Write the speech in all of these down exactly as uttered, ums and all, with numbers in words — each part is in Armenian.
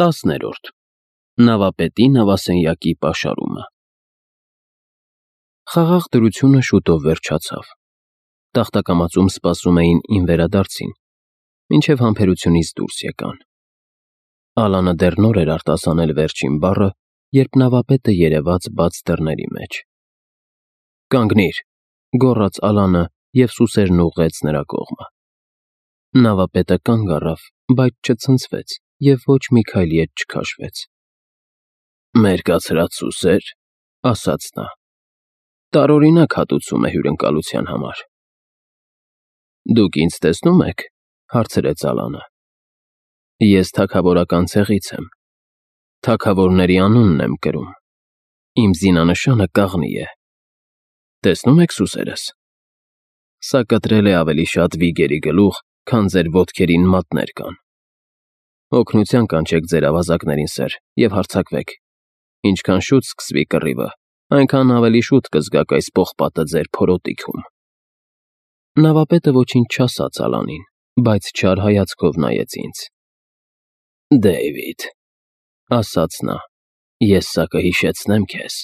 Տասներորդ Նավապետի նավասենյակի պաշարումը Խաղաղ դրությունը շուտով վերջացավ։ Տախտակամածում սպասում էին իմ վերադարձին, մինչև համբերությունից դուրս եկան։ Ալանը դեռ նոր էր արտասանել վերջին բառը, երբ նավապետը երևաց բաց դռների մեջ։ «Կանգնիր», գոռաց Ալանը և սուսերն ուղղեց նրա կողմը։ Նավապետը կանգ առավ, բայց չցնցվեց և ոչ մի քայլ ետ չքաշվեց։ «Մեր կացրած սուսե՞ր», ասաց նա։ «Տարօրինակ հատուցում է հյուրընկալության համար»։ «Դուք ինձ տեսնո՞ւմ եք», հարցրեց Ալանը։ «Ես թագավորական ցեղից եմ, թագավորների անունն եմ կրում, իմ զինանշանը կաղնի է։ Տեսնո՞ւմ եք սուսերս։ Սա կտրել է ավելի շատ վիգերի գլուխ, քան ձեր ոտքերին մատներ կան։ Օգնության կանչեք ձեր ավազակներին, սըր, և հարձակվեք։ Ինչքան շուտ սկսվի կռիվը, այնքան ավելի շուտ կզգաք այս պողպատը ձեր փորոտիքում»։ Նավապետը ոչինչ չասաց Ալանին, բայց չար հայացքով նայեց ինձ։ «Դեյվիդ», ասաց նա, «ես սա կհիշեցնեմ քեզ»։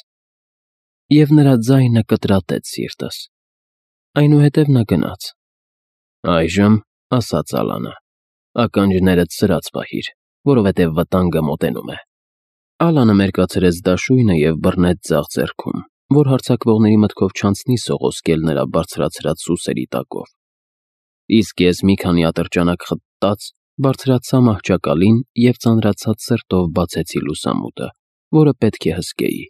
Եվ նրա ձայնը կտրատեց սիրտս։ Այնուհետև նա գնաց։ «Այժմ», ասաց Ալանը, «ականջներդ սրած պահիր, որովհետև վտանգը մոտենում է»։ Ալանը մերկացրեց դաշույնը և բռնեց ձախ ձեռքում, որ հարձակվողների մտքով չանցնի սողոսկել նրա բարձրացրած սուսերի տակով։ Իսկ ես մի քանի ատրճանակ խտտած բարձրացա մահճակալին և ծանրացած սրտով բացեցի լուսամուտը, որը պետք է հսկեի։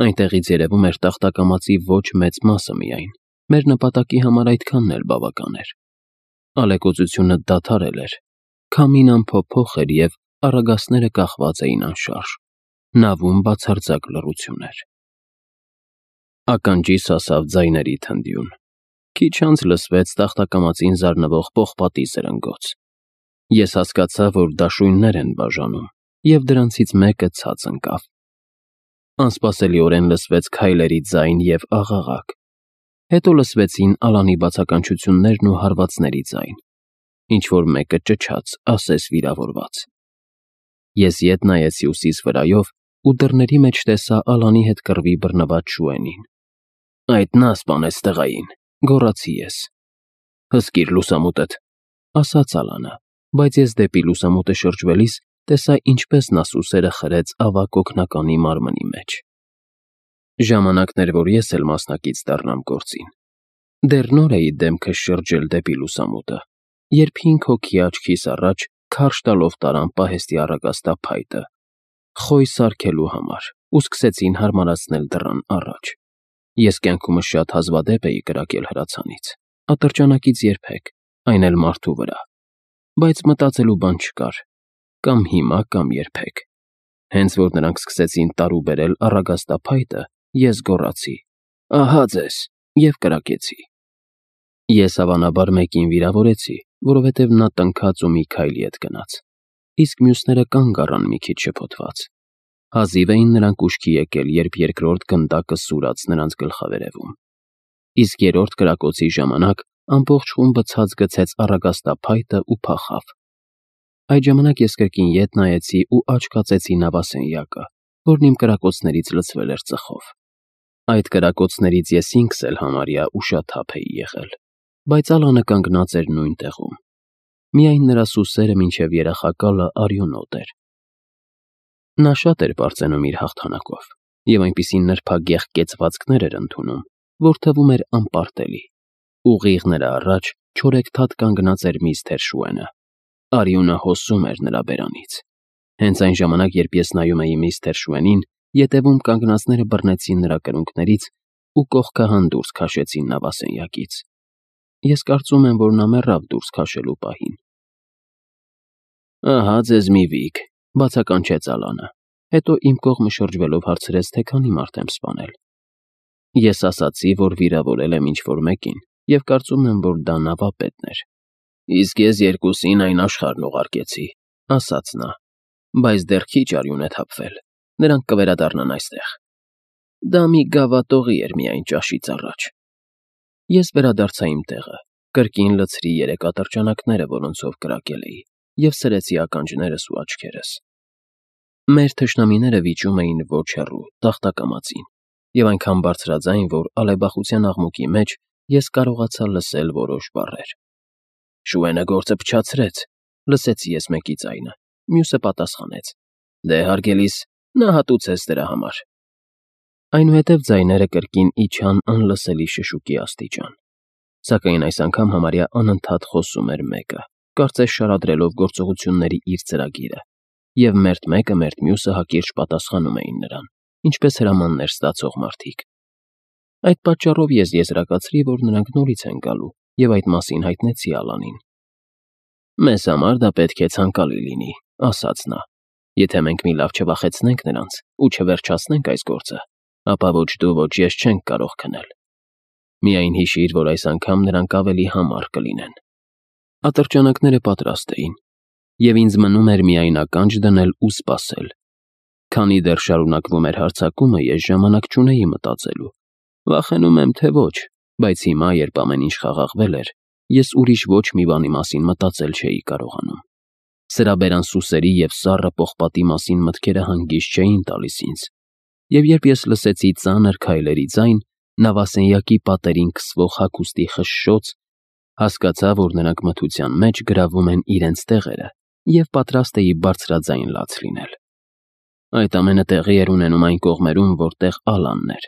Այնտեղից երևում էր տախտակամածի ոչ մեծ մասը միայն, մեր նպատակի համար այդքանն էլ բավական էր։ Ալեկոծությունը դադարել էր, քամին անփոփոխ էր և առագաստները կախված էին անշարժ, նավում բացարձակ լռություն էր։ Ականջիս հասավ ձայների թնդյուն։ Քիչ անց լսվեց տախտակամածին զարնվող պողպատի զրնգոց։ Ես հասկացա, որ դաշույններ են բաժանում, և դրանցից մեկը ցած ընկավ։ Անսպասելիորեն լսվեց քայլերի ձայն և աղաղակ։ Հետո լսվեցին Ալանի բացականչություններն ու հարվածների ձայն։ Ինչ-որ մեկը ճչաց, ասես վիրավորված։ Ես ետ նայեցի ուսիս վրայով ու դռների մեջ տեսա Ալանի հետ կռվի բռնված Շուենին։ «Այդ նա սպանեց տղային», գոռացի ես։ «Հսկիր լուսամուտդ», ասաց Ալանը, բայց ես դեպի լուսամուտը շրջվելիս տեսա, ինչպես նա սուսերը խրեց ավագ օգնականի մարմնի մեջ։ Ժամանակն էր, որ ես էլ մասնակից դառնամ գործին։ Դեռ նոր էի դեմքս շրջել դեպի լուսամուտը, երբ հինգ հոգի աչքիս առաջ քարշ տալով տարան պահեստի առագաստափայտը, խոյ սարքելու համար, ու սկսեցին հարմարացնել դռան առաջ։ Ես կյանքումս շատ հազվադեպ էի կրակել հրացանից, ատրճանակից երբեք, այն էլ մարդու վրա։ Բայց մտածելու բան չկար, կամ հիմա, կամ երբեք։ Հենց որ նրանք սկսեցին տարուբերել առագաստափայտը, ես գոռացի. «Ահա ձեզ», և կրակեցի։ Ես հավանաբար մեկին վիրավորեցի, որովհետև նա տնքաց ու մի քայլ ետ գնաց, իսկ մյուսները կանգ առան մի քիչ շփոթված։ Հազիվ էին նրանք ուշքի եկել, երբ երկրորդ գնդակը սուրաց նրանց գլխավերևում։ Իսկ երրորդ կրակոցի ժամանակ ամբողջ խումբը ցած գցեց առագաստափայտը ու փախավ։ Այդ ժամանակ ես կրկին ետ նայեցի ու աչք հացեցի նավասենյակը, որն իմ կրակոցներից լցվել էր ծխով։ Այդ կրակոցներից ես ինքս էլ համարյա ուշաթափ էի եղել, բայց Ալանը կանգնած էր նույն տեղում։ Միայն նրա սուսերը մինչև երախակալը արյունոտ էր։ Նա շատ էր պարծենում իր հաղթանակով և այնպիսի նրբագեղ կեցվածքներ էր ընդունում, որ թվում էր անպարտելի։ Ուղիղ նրա առաջ չորեքթաթ կանգնած էր միստր Շուենը։ Արյունը հոսում էր նրա բերանից։ Հենց այն ժամանակ, երբ ես նայում էի միստր Շուենին, ետևում կանգնածները բռնեցին նրա կրունկներից ու կողքահան դուրս քաշեցին նավասենյակից։ Ես կարծում եմ, որ նա մեռավ դուրս քաշելու պահին։ «Ահա ձեզ մի վիգ», բացականչեց Ալանը, հետո իմ կողմը շրջվելով հարցրեց, թե քանի մարդ եմ սպանել։ Ես ասացի, որ վիրավորել եմ ինչ-որ մեկին, և կարծում եմ, որ դա նավապետն էր։ «Իսկ ես երկուսին այն աշխարհն ուղարկեցի», ասաց նա, «բայց դեռ քիչ արյուն է թափվել, նրանք կվերադառնան այստեղ»։ Դա մի գավաթողի էր միայն ճաշից առաջ։ Ես վերադարձա իմ տեղը, կրկին լցրի երեք ատրճանակները, որոնցով կրակել էի, և սրեցի ականջներս ու աչքերս։ Մեր թշնամիները վիճում էին ոչ հեռու, տախտակամածին, և այնքան բարձրաձայն, որ ալեբախության աղմուկի մեջ ես կարողացա լսել որոշ բառեր։ «Շուենը գործը փչացրեց», լսեցի ես մեկի ձայնը, մյուսը պատասխանեց. «Դե, հարգելիս, նա հատուցեց դրա համար»։ Այնուհետև ձայները կրկին իջան անլսելի շշուկի աստիճան, սակայն այս անգամ համարյա անընդհատ խոսում էր մեկը, կարծես շարադրելով գործողությունների իր ծրագիրը, և մերթ մեկը, մերթ մյուսը հակիրճ պատասխանում էին նրան, ինչպես հրամաններ ստացող մարդիկ։ Այդ պատճառով ես եզրակացրի, որ նրանք նորից են գալու, և այդ մասին հայտնեցի Ալանին։ «Մեզ համար դա պետք է ցանկալի լինի», ասաց նա։ «Եթե մենք մի լավ չվախեցնենք նրանց ու չվերջացնենք այս գործը, ապա ոչ դու, ոչ ես չենք կարող քնել։ Միայն հիշիր, որ այս անգամ նրանք ավելի համառ կլինեն»։ Ատրճանակները պատրաստ էին, և ինձ մնում էր միայն ականջ դնել ու սպասել։ Քանի դեռ շարունակվում էր հարձակումը, ես ժամանակ չունեի մտածելու։ Վախենում եմ, թե ոչ, բայց հիմա, երբ ամեն ինչ խաղաղվել էր, ես ուրիշ ոչ մի բանի մասին մտածել չէի կարողանում։ Սրաբերան սուսերի և սառը պողպատի մասին մտքերը հանգիստ չէին տալիս ինձ, և երբ ես լսեցի ծանր քայլերի ձայն, նավասենյակի պատերին քսվող հագուստի խշշոց, հասկացա, որ նրանք մթության մեջ գրավում են իրենց տեղերը և պատրաստ էի բարձրաձայն լաց լինել։ Այդ ամենը տեղի էր ունենում այն կողմերում, որտեղ Ալանն էր,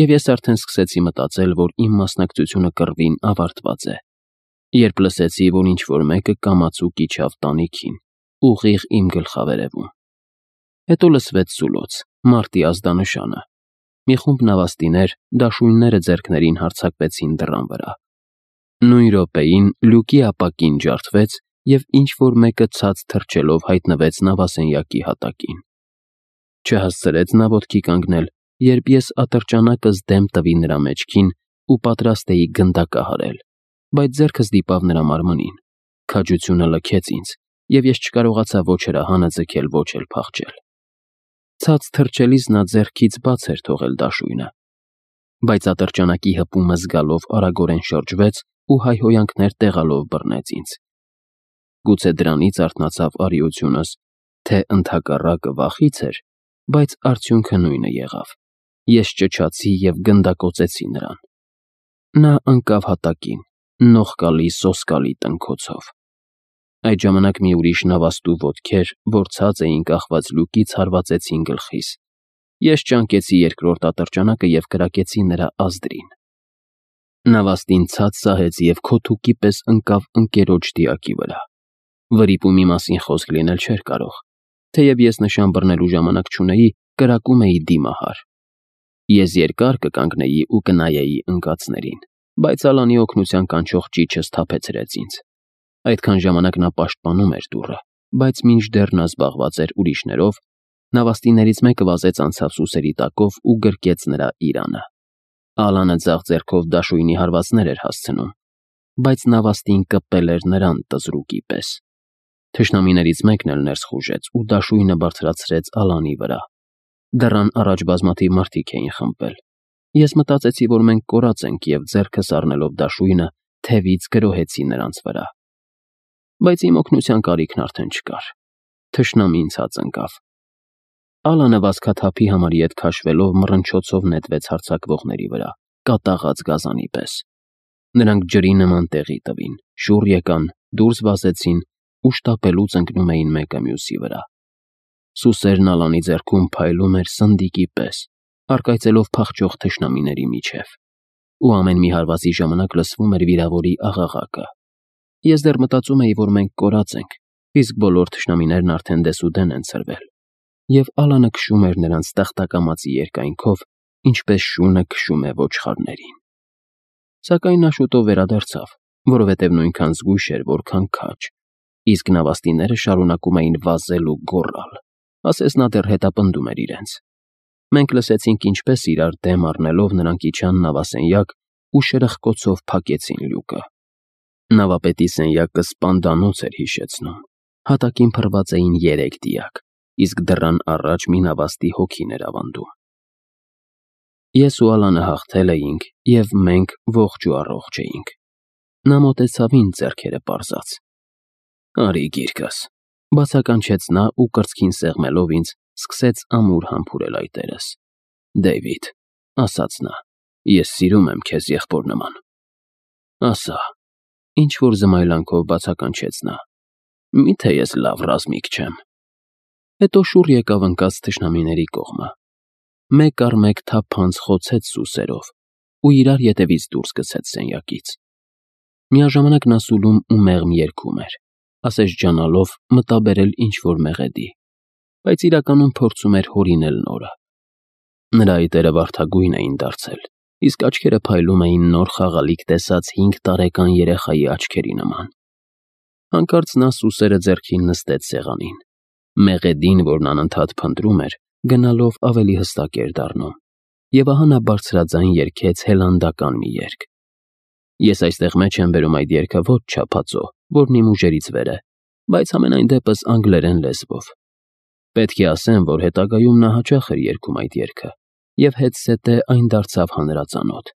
և ես արդեն սկսեցի մտածել, որ իմ մասնակցությունը կռվին ավարտված է, երբ լսեցի, որ ինչ-որ մեկը կամացուկ իջավ տանիքին, ուղիղ իմ գլխավերևում։ Հետո լսվեց սուլոց, մարտի ազդանշանը։ Մի խումբ նավաստիներ դաշույնները ձեռքներին հարձակվեցին դռան վրա։ Նույն րոպեին լյուկի ապակին ջարդվեց, և ինչ-որ մեկը ցած թռչելով հայտնվեց նավասենյակի հատակին։ Չհասցրեց նա ոտքի կանգնել, երբ ես ատրճանակս դեմ տվի նրա մեջքին ու պատրաստ էի գնդակահարել, բայց ձեռքս դիպավ նրա մարմնին, քաջությունը լքեց ինձ, և ես չկարողացա ոչ հրահանը ձգել, ոչ էլ փախչել։ Ցած թռչելիս նա ձեռքից բաց էր թողել դաշույնը, բայց ատրճանակի հպումը զգալով արագորեն շրջվեց ու հայհոյանքներ տեղալով բռնեց ինձ։ Գուցե դրանից արթնացավ արիությունս, թե ընդհակառակը վախից էր, բայց արդյունքը նույնը եղավ։ Ես ճչացի և գնդակոծեցի նրան։ Նա ընկավ հատակին, նողկալի, սոսկալի տնքոցով։ Այդ ժամանակ մի ուրիշ նավաստու ոտքեր, որ ցած էին կախված լյուկից, հարվածեցին գլխիս։ Ես ճանկեցի երկրորդ ատրճանակը և կրակեցի նրա ազդրին։ Նավաստին ցած սահեց և քոթուկի պես ընկավ ընկերոջ դիակի վրա։ Վրիպումի մասին խոսք լինել չէր կարող։ Թեև ես նշան բռնելու ժամանակ չունեի, կրակում էի դիմահար։ Ես երկար կկանգնեի ու կնայեի ընկածներին, բայց Ալանի օգնության կանչող ճիչը սթափեցրեց ինձ։ Այդքան ժամանակ նա պաշտպանում էր դուռը, բայց մինչդեռ նա զբաղված էր ուրիշներով, նավաստիներից մեկը վազեց անցավ սուսերի տակով ու գրկեց նրա իրանը։ Ալանը ձախ ձեռքով դաշույնի հարվածներ էր հասցնում, բայց նավաստին կպել էր նրան տզրուկի պես։ Թշնամիներից մեկն էլ ներս խուժեց ու դաշույնը բարձրացրեց Ալանի վրա։ Դռան առաջ բազմաթիվ մարդիկ էին խմբվել։ Ես մտածեցի, որ մենք կորած ենք, և ձեռքս առնելով դաշույնը, թևից գրոհեցի նրանց վրա։ Բայց իմ օգնության կարիքն արդեն չկար։ Թշնամին ցած ընկավ։ Ալանը վազքաթափի համարի հետ քաշվելով մռնչոցով նետվեց հարձակվողների վրա, կատաղած գազանի պես։ Նրանք ջրի նման տեղի տվին, շուռ եկան, դուրս վազեցին ու շտապելուց ընկնում էին մեկը մյուսի վրա։ Սուսերն Ալանի ձեռքում փայլում էր սնդիկի պես, առկայծելով փախչող թշնամիների միջև, ու ամեն մի հարվածի ժամանակ լսվում էր վիրավորի աղաղակը։ Ես դեռ մտածում էի, որ մենք կորած ենք, իսկ բոլոր թշնամիներն արդեն դեսուդեն են ցրվել, և Ալանը քշում էր նրանց տախտակամածի երկայնքով, ինչպես շունը քշում է ոչխարներին։ Սակայն նա շուտով վերադարձավ, որովհետև նույնքան զգույշ էր, որքան քաջ, իսկ նավաստիները շարունակում էին վազել ու գոռալ, ասես նա դեռ հետապնդում էր իրենց։ Մենք լսեցինք, ինչպես իրար դեմ առնելով նրանք իջան նավասենյակ ու շրխկոցով փակեցին լյուկը։ Նավապետի սենյակը սպանդանոց էր հիշեցնում։ Հատակին փռված էին երեք դիակ, իսկ դռան առաջ մի նավաստի հոգին էր ավանդում։ Ես ու Ալանը հաղթել էինք, և մենք ողջ ու առողջ էինք։ Նա մոտեցավ ինձ, ձեռքերը պարզած։ «Արի գիրկս», բացականչեց նա ու կրծքին սեղմելով ինձ սկսեց ամուր համբուրել այտերս։ Դեյվիդ, ասաց նա, ես սիրում եմ քեզ եղբոր նման։ Ասա, ինչ որ զմայլանքով բացականչեց նա, միթե ես լավ ռազմիկ չեմ։ Հետո շուռ եկավ ընկած թշնամիների կողմը, մեկ առ մեկ թափանց խոցեց սուսերով ու իրար ետևից դուրս գցեց սենյակից։ Միաժամանակ նա սուլում ու մեղմ երգում էր, ասես ջանալով մտաբերել ինչ-որ մեղեդի, բայց իրականում փորձում էր հորինել նորը։ Նրա այտերը վարդագույն էին դարձել, իսկ աչքերը փայլում էին նոր խաղալիք տեսած հինգ տարեկան երեխայի աչքերի նման։ Հանկարծ նա սուսերը ձեռքին նստեց սեղանին։ Մեղեդին, որն անընդհատ փնտրում էր, գնալով ավելի հստակ էր դառնում, եւ ահա նա բարձրաձայն երգեց հելանդական մի երգ։ Ես այստեղ մեջ եմ բերում այդ երգը ոչ չափածո, որն իմ ուժերից վեր է, բայց համենայն դեպս անգլերեն լեզվով։ Պետք է ասեմ, որ հետագայում նա հաճախ էր երգում այդ երգը, եւ հետզհետե այն դարձավ հանրածանոթ։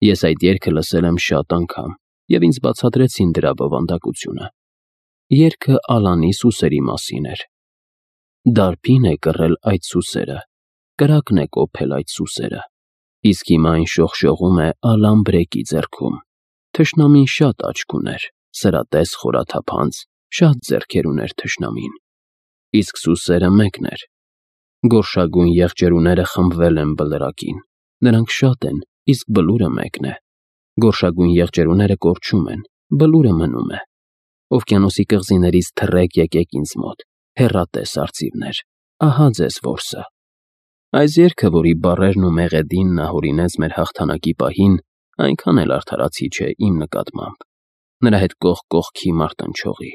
Ես այդ երգը լսել եմ շատ անգամ, եւ ինձ բացատրեցին դրա բովանդակությունը։ Երգը Ալանի սուսերի մասին էր։ Դարբին է կռել այդ սուսերը, կրակն է կոփել այդ սուսերը, իսկ հիմա այն շողշողում է Ալան Բրեկի ձեռքում։ Թշնամին շատ աչք ուներ, սրատես խորաթափանց, շատ ձեռքեր ուներ թշնամին, իսկ սուսերը մեկն էր։ Գորշագույն եղջերուները խմբվել են բլրակին, նրանք շատ են, իսկ բլուրը մեկն է։ Գորշագույն եղջերուները կորչում են, բլուրը մնում է։ Օվկիանոսի կղզիներից թռեք եկեք ինձ մոտ, հեռատես արծիվներ, ահա ձեզ որսը։ Այս երգը, որի բառերն ու մեղեդին նա հորինեց մեր հաղթանակի պահին, այնքան էլ արդարացի չէ իմ նկատմամբ, նրա հետ կողք կողքի մարտնչողի։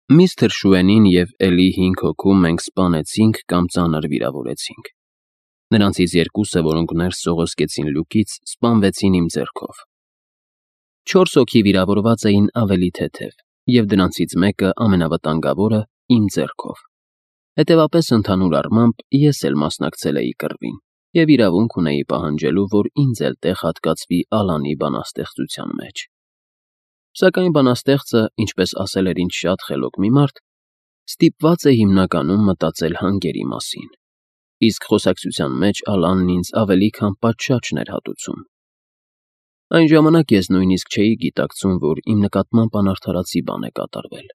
Միստր Շուենին և էլի հինգ հոգու մենք սպանեցինք կամ ծանր վիրավորեցինք։ Նրանցից երկուսը, որոնք ներս սողոսկեցին լյուկից, սպանվեցին իմ ձեռքով։ Չորս հոգի վիրավորված էին ավելի թեթև, և դրանցից մեկը, ամենավտանգավորը, իմ ձեռքով։ Հետևապես, ընդհանուր առմամբ, ես էլ մասնակցել էի կռվին և իրավունք ունեի պահանջելու, որ ինձ էլ տեղ հատկացվի Ալանի բանաստեղծության մեջ։ Սակայն բանաստեղծը, ինչպես ասել էր ինձ շատ խելոք մի մարդ, ստիպված է հիմնականում մտածել հանգերի մասին, իսկ խոսակցության մեջ Ալանն ինձ ավելի քան պատշաճն էր հատուցում։ Այն ժամանակ ես նույնիսկ չէի գիտակցում, որ իմ նկատմամբ անարդարացի բան է կատարվել,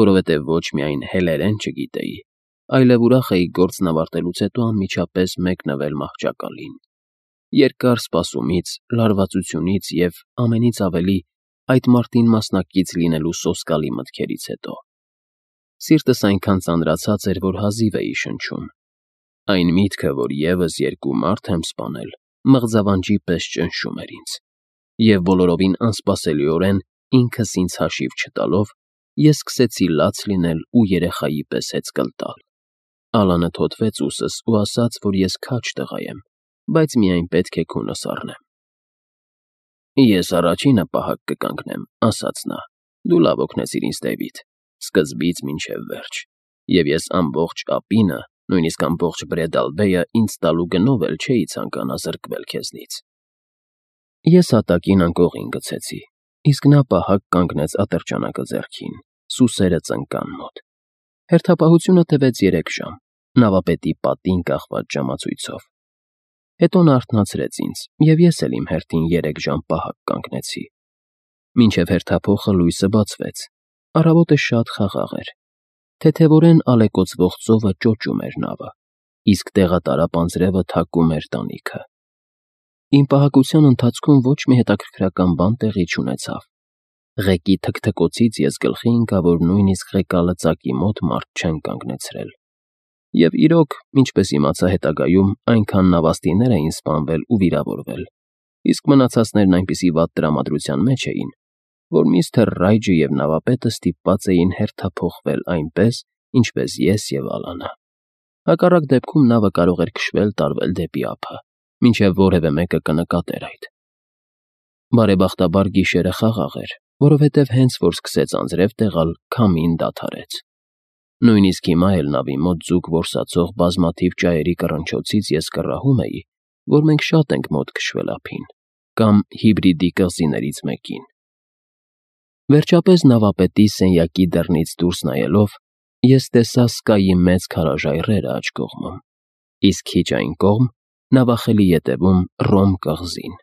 որովհետև ոչ միայն հելերեն չգիտեի, այլև ուրախ էի գործն ավարտելուց հետո անմիջապես մեկնվել մահճակալին։ Երկար սպասումից, լարվածությունից և ամենից ավելի այդ մարտին մասնակից լինելու սոսկալի մտքերից հետո։ Սիրտս այնքան ծանրացած էր, որ հազիվ էի շնչում։ Այն միտքը, որ ևս երկու մարդ եմ սպանել, մղձավանջի պես ճնշում էր ինձ, և բոլորովին անսպասելիորեն ինքս ինձ հաշիվ չտալով, ես սկսեցի լաց լինել ու երեխայի պես հեծկլ տալ։ Ալանը թոթվեց ուսս ու ասաց, որ ես քաջ տղա եմ, բայց միայն պետք է քունս առնեմ։ Ես առաջինը պահակ կկանգնեմ, ասաց նա, դու լավ օգնեցիր ինձ, Դեյվիդ, սկզբից մինչև վերջ, և ես ամբողջ ապինը, նույնիսկ ամբողջ Բրեդալբեյը ինձ տալու գնով էլ չէի ցանկանա զրկվել քեզնից։ Ես հատակին անկողին գցեցի, իսկ նա պահակ կանգնեց ատրճանակը ձեռքին, սուսերը ծնկան մոտ։ Հերթապահությունը տևեց երեք ժամ, նավապետի պատին կախված ժամացույցով։ Հետո նա արթնացրեց ինձ, և ես էլ իմ հերթին երեք ժամ պահակ կանգնեցի։ Մինչև հերթափոխը լույսը բացվեց, առավոտը շատ խաղաղ էր։ Թեթևորեն ալեկոծվող ծովը ճոճում էր նավը, իսկ տեղատարապ անձրևը թակում էր տանիքը։ Իմ պահակության ընթացքում ոչ մի հետաքրքրական բան տեղի չունեցավ։ Ղեկի թքթքոցից ես գլխի ընկա, որ նույնիսկ ղեկալծակի մոտ մարդ չեն կանգնեցրել։ Եվ իրոք, ինչպես իմացա հետագայում, այնքան նավաստիներ էին սպանվել ու վիրավորվել, իսկ մնացածներն այնպիսի վատ տրամադրության մեջ էին, որ միստր Ռայջը և նավապետը ստիպված էին հերթափոխվել այնպես, ինչպես ես և Ալանը։ Հակառակ դեպքում նավը կարող էր քշվել տարվել դեպի ափը, մինչև որևէ մեկը կնկատեր այդ։ Բարեբախտաբար գիշերը խաղաղ էր, որովհետև հենց որ սկսեց անձրև տեղալ, քամին դադարեց։ Նույնիսկ հիմա էլ նավի մոտ ձուկ որսացող բազմաթիվ ճայերի կռնչոցից ես կռահում էի, որ մենք շատ ենք մոտ քշվել ափին, կամ Հիբրիդի կղզիներից մեկին։ Վերջապես նավապետի սենյակի դռնից դուրս նայելով, Ես տեսա Սկայի մեծ քարաժայռերը աջ կողմում, իսկ քիչ այն կողմ՝ նավախելի ետևում Ռոմ կղզին։